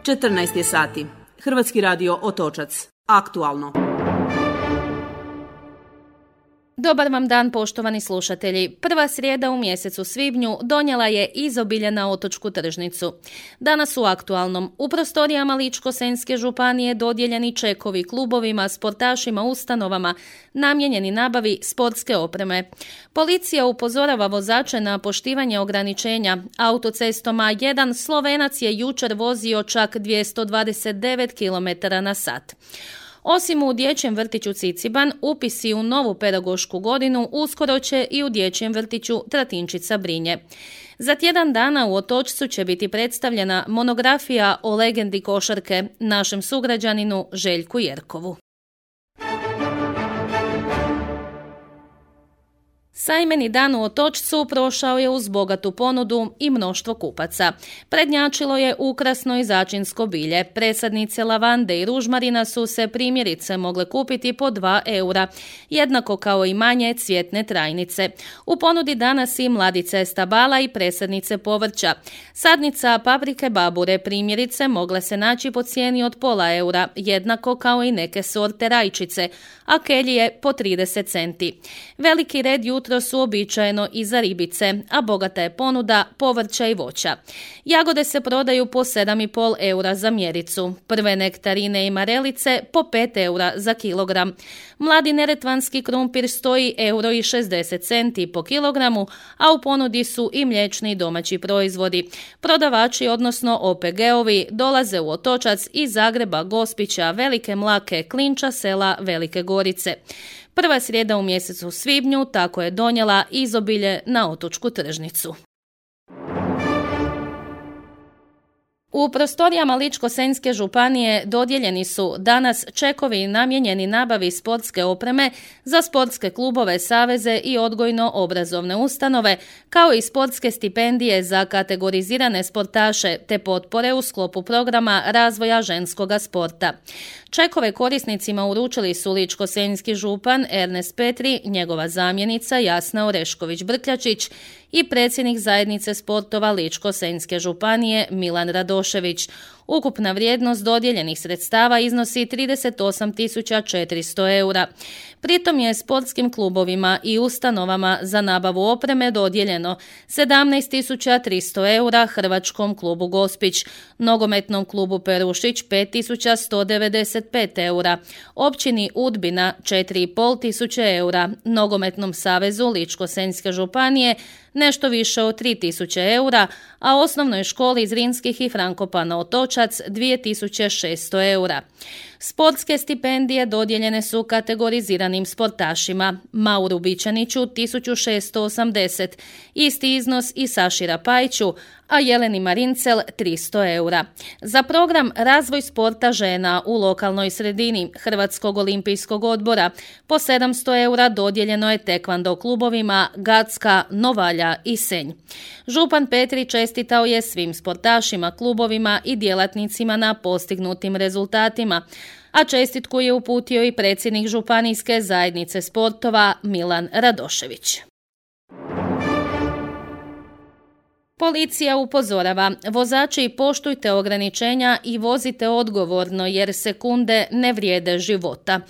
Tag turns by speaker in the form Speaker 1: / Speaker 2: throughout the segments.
Speaker 1: 14 je sati. Hrvatski radio Otočac. Aktualno.
Speaker 2: Dobar vam dan, poštovani slušatelji. Prva srijeda u mjesecu svibnju donijela je izobilje na otočku tržnicu. Danas u aktualnom u prostorijama Ličko-senjske županije dodijeljeni čekovi klubovima, sportašima, ustanovama namijenjeni nabavi sportske opreme. Policija upozorava vozače na poštivanje ograničenja. Autocestom A1 Slovenac je jučer vozio čak 229 km/h. Osim u dječjem vrtiću Ciciban, upisi u novu pedagošku godinu uskoro će i u dječjem vrtiću Tratinčica Brinje. Za tjedan dana u Otočcu će biti predstavljena monografija o legendi košarke, našem sugrađaninu Željku Jerkovu. Sajmeni dan u Otočcu prošao je uz bogatu ponudu i mnoštvo kupaca. Prednjačilo je ukrasno i začinsko bilje. Presadnice lavande i ružmarina su se primjerice mogle kupiti po 2 eura, jednako kao i manje cvjetne trajnice. U ponudi danas i mladice stabala i presadnice povrća. Sadnica paprike babure primjerice mogle se naći po cijeni od pola eura, jednako kao i neke sorte rajčice, a kelije po 30 centi. Veliki red jutro su uobičajeno i za ribice, a bogata je ponuda povrća i voća. Jagode se prodaju po 7,5 eura za mjericu, prve nektarine i marelice po 5 eura za kilogram. Mladi neretvanski krumpir stoji €1,60 po kilogramu, a u ponudi su i mliječni domaći proizvodi. Prodavači, odnosno OPG-ovi, dolaze u Otočac iz Zagreba, Gospića, Velike Mlake, Klinča, sela Velike Gorice. Prva srijeda u mjesecu svibnju tako je donijela izobilje na otočku tržnicu. U prostorijama Ličko-senjske županije dodijeljeni su danas čekovi namijenjeni nabavi sportske opreme za sportske klubove, saveze i odgojno-obrazovne ustanove, kao i sportske stipendije za kategorizirane sportaše te potpore u sklopu programa razvoja ženskoga sporta. Čekove korisnicima uručili su Ličko-senjski župan Ernest Petri, njegova zamjenica Jasna Orešković-Brkljačić i predsjednik zajednice sportova Ličko-senjske županije Milan Radošević. Ukupna vrijednost dodijeljenih sredstava iznosi 38.400 eura. Pritom je sportskim klubovima i ustanovama za nabavu opreme dodijeljeno 17.300 eura Hrvačkom klubu Gospić, nogometnom klubu Perušić 5.195 eura, općini Udbina 4.500 eura, nogometnom savezu Ličko-senjske županije nešto više od 3.000 eura, a osnovnoj školi Zrinskih i Frankopana Otočac 2.600 eura. Sportske stipendije dodijeljene su kategoriziranim sportašima: Mauru Bičaniću 1.680, isti iznos i Saši Rapajiću, a Jeleni Marincel 300 eura. Za program Razvoj sporta žena u lokalnoj sredini Hrvatskog olimpijskog odbora po 700 eura dodijeljeno je tekvando klubovima Gacka, Novalja i Senj. Župan Petri čestitao je svim sportašima, klubovima i djelatnicima na postignutim rezultatima, a čestitku je uputio i predsjednik županijske zajednice sportova Milan Radošević. Policija upozorava, vozači poštujte ograničenja i vozite odgovorno jer sekunde ne vrijede života.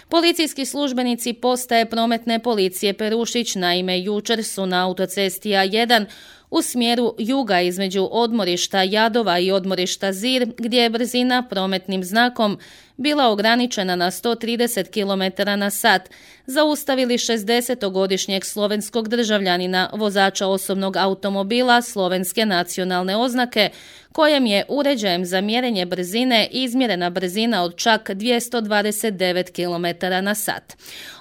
Speaker 2: Policijski službenici postaje prometne policije Perušić naime jučer su na autocesti A1 u smjeru juga između odmorišta Jadova i odmorišta Zir, gdje je brzina prometnim znakom bila ograničena na 130 km/h, zaustavili 60-godišnjeg slovenskog državljanina, vozača osobnog automobila slovenske nacionalne oznake, kojem je uređajem za mjerenje brzine izmjerena brzina od čak 229 km/h.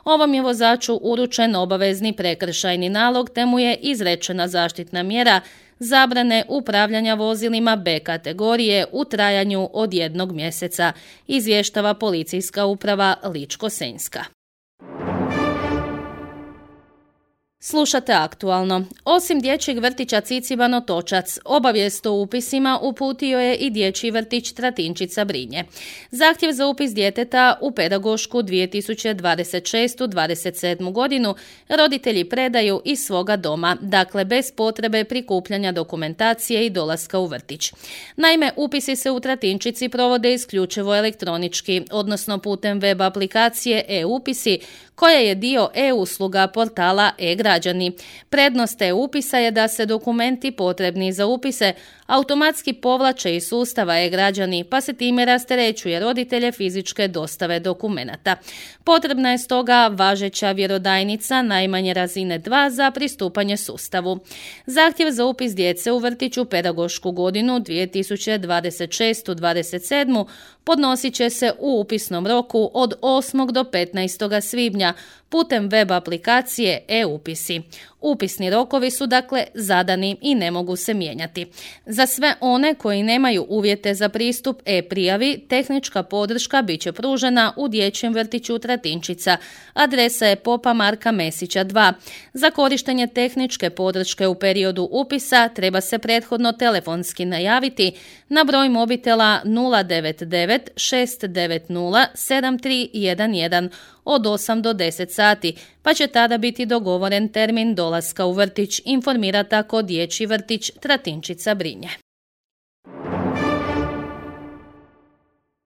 Speaker 2: Ovom je vozaču uručen obavezni prekršajni nalog, te mu je izrečena zaštitna mjera zabrane upravljanja vozilima B kategorije u trajanju od 1 mjeseca, izvještava policijska uprava Ličko-senjska. Slušate aktualno. Osim dječjeg vrtića Ciciban Otočac, obavijest o upisima uputio je i dječji vrtić Tratinčica Brinje. Zahtjev za upis djeteta u pedagošku 2026-27 godinu roditelji predaju iz svoga doma, dakle bez potrebe prikupljanja dokumentacije i dolaska u vrtić. Naime, upisi se u Tratinčici provode isključivo elektronički, odnosno putem web aplikacije e-upisi, koja je dio e-usluga portala e-građani. Prednost e-upisa je da se dokumenti potrebni za upise automatski povlače iz sustava e-građani, pa se time rasterećuje roditelje fizičke dostave dokumenata. Potrebna je stoga važeća vjerodajnica najmanje razine 2 za pristupanje sustavu. Zahtjev za upis djece u vrtiću pedagošku godinu 2026-27 podnosit će se u upisnom roku od 8. do 15. svibnja putem web aplikacije e-upisi. Upisni rokovi su dakle zadani i ne mogu se mijenjati. Za sve one koji nemaju uvjete za pristup e-prijavi, tehnička podrška bit će pružena u dječjem vrtiću Tratinčica. Adresa je Popa Marka Mesića 2. Za korištenje tehničke podrške u periodu upisa treba se prethodno telefonski najaviti na broj mobitela 099 690 7311 od 8 do 10 sati, pa će tada biti dogovoren termin dolaska u vrtić, informira tako dječji vrtić Tratinčica Brinje.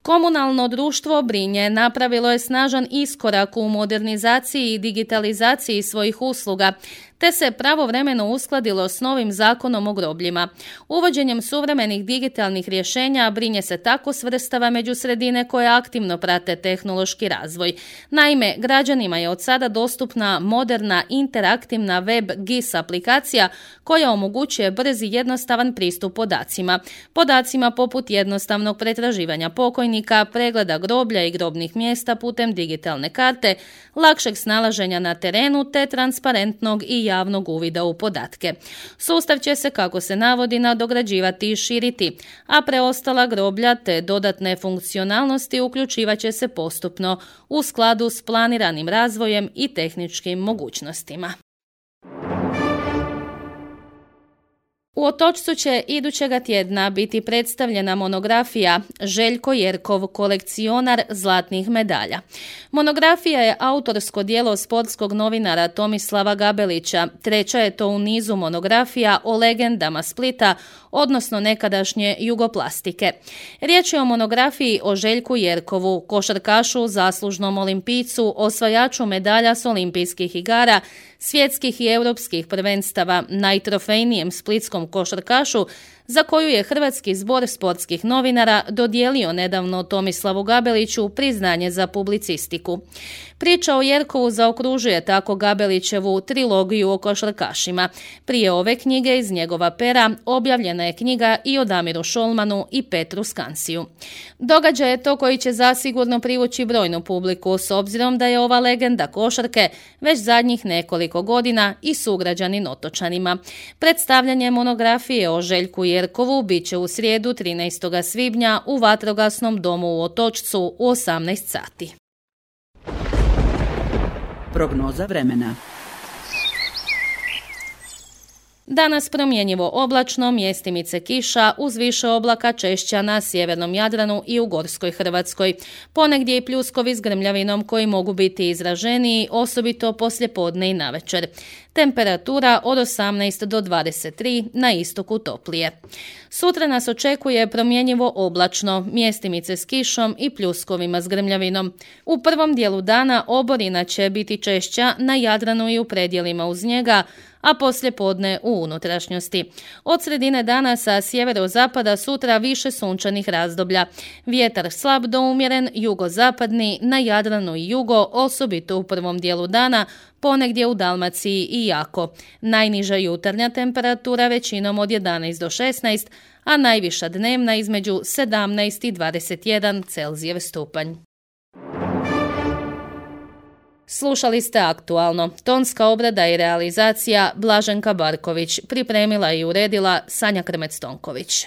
Speaker 2: Komunalno društvo Brinje napravilo je snažan iskorak u modernizaciji i digitalizaciji svojih usluga, te se pravovremeno uskladilo s novim zakonom o grobljima. Uvođenjem suvremenih digitalnih rješenja Brinje se tako svrstava među sredine koje aktivno prate tehnološki razvoj. Naime, građanima je od sada dostupna moderna interaktivna web GIS aplikacija koja omogućuje brz i jednostavan pristup podacima. Podacima poput jednostavnog pretraživanja pokojnika, pregleda groblja i grobnih mjesta putem digitalne karte, lakšeg snalaženja na terenu te transparentnog i javnog uvida u podatke. Sustav će se, kako se navodi, nadograđivati i širiti, a preostala groblja te dodatne funkcionalnosti uključivat će se postupno u skladu s planiranim razvojem i tehničkim mogućnostima. U Otočcu će idućega tjedna biti predstavljena monografija Željko Jerkov, kolekcionar zlatnih medalja. Monografija je autorsko djelo sportskog novinara Tomislava Gabelića. Treća je to u nizu monografija o legendama Splita, odnosno nekadašnje Jugoplastike. Riječ je o monografiji o Željku Jerkovu, košarkašu, zaslužnom olimpijcu, osvajaču medalja s olimpijskih igara, svjetskih i europskih prvenstava, najtrofejnijem splitskom košarkašu, za koju je Hrvatski zbor sportskih novinara dodijelio nedavno Tomislavu Gabeliću priznanje za publicistiku. Priča o Jerkovu zaokružuje tako Gabelićevu trilogiju o košarkašima. Prije ove knjige iz njegova pera objavljena je knjiga i o Damiru Šolmanu i Petru Skansiju. Događaj je to koji će zasigurno privući brojnu publiku, s obzirom da je ova legenda košarke već zadnjih nekoliko godina i sugrađanin Otočanima. Predstavljanje monografije o Željku Jerkovu bit će u srijedu 13. svibnja u Vatrogasnom domu u Otočcu u 18 sati.
Speaker 1: Prognoza vremena.
Speaker 2: Danas promjenjivo oblačno, mjestimice kiša, uz više oblaka češća na sjevernom Jadranu i u Gorskoj Hrvatskoj. Ponegdje i pljuskovi s grmljavinom koji mogu biti izraženiji, osobito poslijepodne i navečer. Temperatura od 18 do 23, na istoku toplije. Sutra nas očekuje promjenjivo oblačno, mjestimice s kišom i pljuskovima s grmljavinom. U prvom dijelu dana oborina će biti češća na Jadranu i u predjelima uz njega, a poslijepodne u unutrašnjosti. Od sredine dana sa sjeverozapada sutra više sunčanih razdoblja. Vjetar slab do umjeren, jugozapadni, na Jadranu i jugo, osobito u prvom dijelu dana, ponegdje u Dalmaciji i jako. Najniža jutarnja temperatura većinom od 11 do 16, a najviša dnevna između 17 i 21 Celzijev stupanj. Slušali ste aktualno. Tonska obrada i realizacija Blaženka Barković. Pripremila i uredila Sanja Krmec-Tonković.